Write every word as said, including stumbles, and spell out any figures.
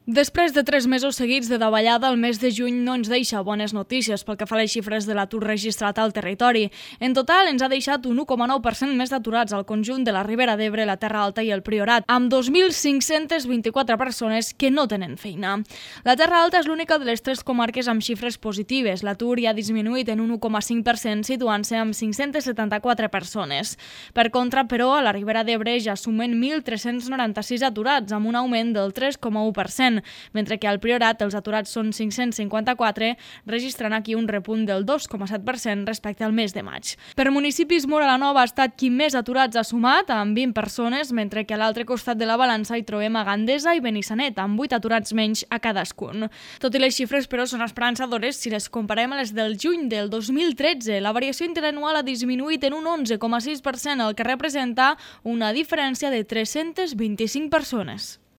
Després de tres mesos seguits de davallada, el mes de juny no ens deixa bones notícies pel que fa a les xifres de l'atur registrat al territori. En total, ens ha deixat un u coma nou per cent més d'aturats al conjunt de la Ribera d'Ebre, la Terra Alta i el Priorat, amb dos mil cinc-cents vint-i-quatre persones que no tenen feina. La Terra Alta és l'única de les tres comarques amb xifres positives. L'atur ja ha disminuït en un u coma cinc per cent, situant-se amb cinc-cents setanta-quatre persones. Per contra, però, a la Ribera d'Ebre ja sumen mil tres-cents noranta-sis aturats, amb un augment del tres coma u per cent. Mentre que al Priorat els aturats són cinc-cents cinquanta-quatre, registrant aquí un repunt del dos coma set per cent respecte al mes de maig. Per municipis, Móra la Nova ha estat qui més aturats ha sumat, amb vint persones, mentre que a l'altre costat de la balança hi trobem a Gandesa i Benissanet, amb vuit aturats menys a cadascun. Tot i les xifres, però, són esperançadores si les comparem a les del juny del dos mil tretze. La variació interanual ha disminuït en un onze coma sis per cent, el que representa una diferència de tres-cents vint-i-cinc persones.